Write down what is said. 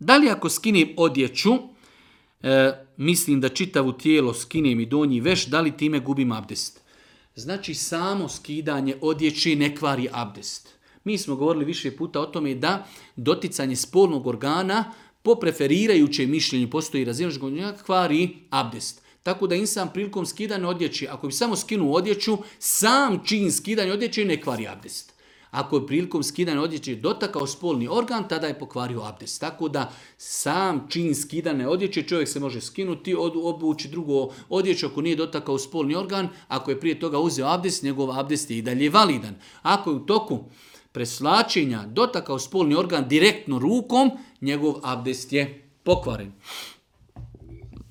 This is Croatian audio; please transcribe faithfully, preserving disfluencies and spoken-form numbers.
Da li ako skinem odjeću, e, mislim da čitavu tijelo skinem i donji veš, da li time gubim abdest? Znači samo skidanje odjeće ne kvari abdest. Mi smo govorili više puta o tome da doticanje spolnog organa po preferirajućem mišljenju postoji razilaženje kvari abdest. Tako da insan prilikom skidanja odjeće, ako bi samo skinuo odjeću, sam čin skidanja odjeće ne kvari abdest. Ako je prilikom skidanja odjeće dotakao spolni organ, tada je pokvario abdest. Tako da sam čin skidanja odjeće čovjek se može skinuti, obući drugo odjeću ako nije dotakao spolni organ. Ako je prije toga uzeo abdest, njegov abdest je i dalje validan. Ako je u toku preslačenja dotakao spolni organ direktno rukom, njegov abdest je pokvaren.